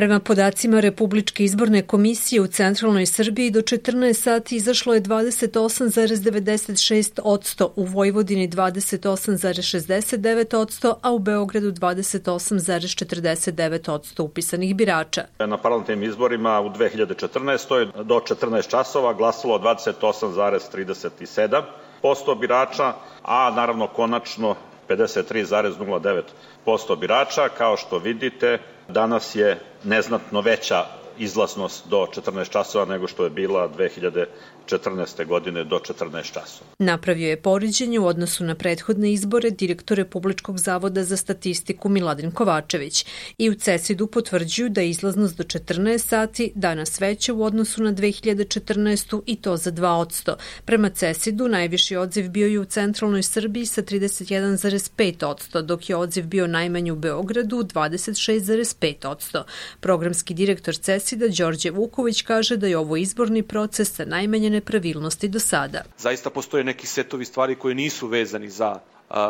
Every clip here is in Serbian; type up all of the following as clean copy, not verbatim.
Prema podacima Republičke izborne komisije u centralnoj Srbiji do 14 sati izašlo je 28,96%, u Vojvodini 28,69%, a u Beogradu 28,49% upisanih birača. Na parlamentarnim izborima u 2014. do 14 časova glasalo 28,37% birača, a naravno konačno 53,09% birača. Kao što vidite, danas je neznatno veća izlaznost do 14 časova nego što je bila 2014. godine do 14 časova. Napravio je poređenje u odnosu na prethodne izbore direktor Republičkog zavoda za statistiku Miladin Kovačević i u CESID-u potvrđuju da je izlaznost do 14 sati danas veća u odnosu na 2014. i to za 2%. Prema CESID-u najviši odziv bio je u centralnoj Srbiji sa 31,5%, dok je odziv bio najmanji u Beogradu 26,5%. Programski direktor CESID-a Đorđe Vuković kaže da je ovo izborni proces sa najmanje nepravilnosti do sada. Zaista postoje neki setovi stvari koji nisu vezani za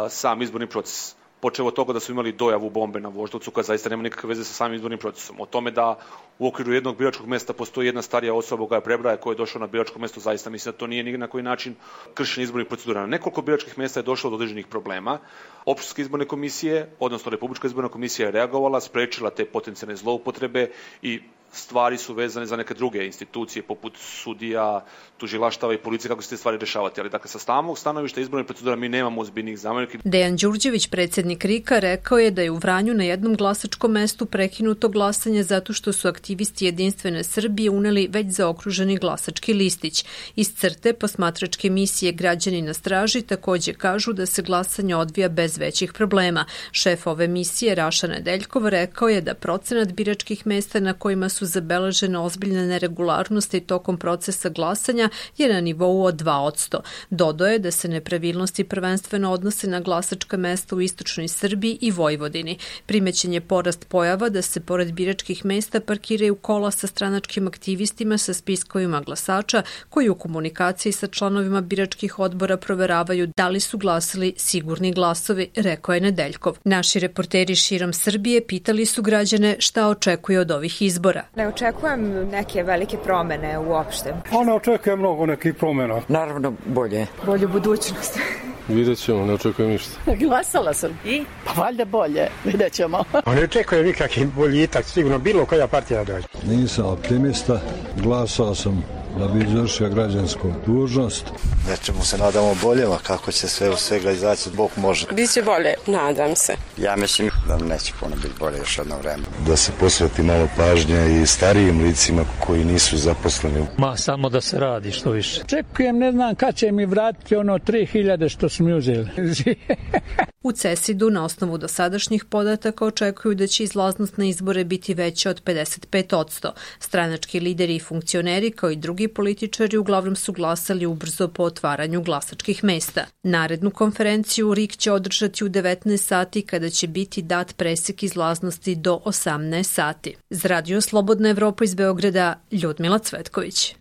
sam izborni proces. Počeo od toga da su imali dojavu bombe na Voždovcu, koja zaista nema nikakve veze sa samim izbornim procesom. O tome da u okviru jednog biračkog mesta postoji jedna starija osoba koja je prebraja, koja je došla na biračko mesto, zaista mislim da to nije ni na koji način kršenje izbornih procedura. Na nekoliko biračkih mesta je došlo do određenih problema. Opštinske izborne komisije, odnosno Republička izborna komisija je reagovala, sprečila te potencijalne zloupotrebe i stvari su vezane za neke druge institucije poput sudija, tužilaštava i policije kako se te stvari rešavati. Ali dakle, sa samog stanovišta izborne procedura mi nemamo ozbiljnih zamerki. Dejan Đurđević, predsjednik RIK-a, rekao je da je u Vranju na jednom glasačkom mestu prekinuto glasanje zato što su aktivisti Jedinstvene Srbije uneli već zaokruženi glasački listić. Iz CRTE posmatračke misije Građani na straži takođe kažu da se glasanje odvija bez većih problema. Šef ove misije, Raša Nedeljkov, rekao je da procenat biračkih mesta na kojima su zabeležene ozbiljne neregularnosti tokom procesa glasanja je na nivou od 2%. Dodao je da se nepravilnosti prvenstveno odnose na glasačka mesta u istočnoj Srbiji i Vojvodini. Primećen je porast pojava da se pored biračkih mesta parkiraju kola sa stranačkim aktivistima sa spiskovima glasača koji u komunikaciji sa članovima biračkih odbora proveravaju da li su glasali sigurni glasovi, rekao je Nedeljkov. Naši reporteri širom Srbije pitali su građane šta očekuje od ovih izbora. Ne očekujem neke velike promene uopšte. Ne očekujem mnogo nekih promena. Naravno bolje. Bolju budućnost. Vidjet ćemo, ne očekujem ništa. Glasala sam. I? Pa valjda bolje, vidjet ćemo. Ne očekujem nikakvi boljitak, sigurno bilo koja partija dođe. Nisam optimista, glasao sam da bi izvršio građansku dužnost. Nečemu se nadamo boljeva, kako će sve u svega izaći, Bog može. Biće bolje, nadam se. Ja mislim da neće puno biti bolje još jedno vreme. Da se posveti malo pažnje i starijim licima koji nisu zaposleni. Samo da se radi što više. Čekujem, ne znam kad će mi vratiti ono 3000 što su mi uzeli. U CESID-u na osnovu dosadašnjih podataka očekuju da će izlaznost na izbore biti veća od 55%. Stranački lideri i funkcioneri kao i drugi političari uglavnom su glasali ubrzo po otvaranju glasačkih mesta. Narednu konferenciju RIK će održati u 19 sati kada će biti dat presek izlaznosti do 18 sati. Za Radio Slobodna Evropa iz Beograda, Ljudmila Cvetković.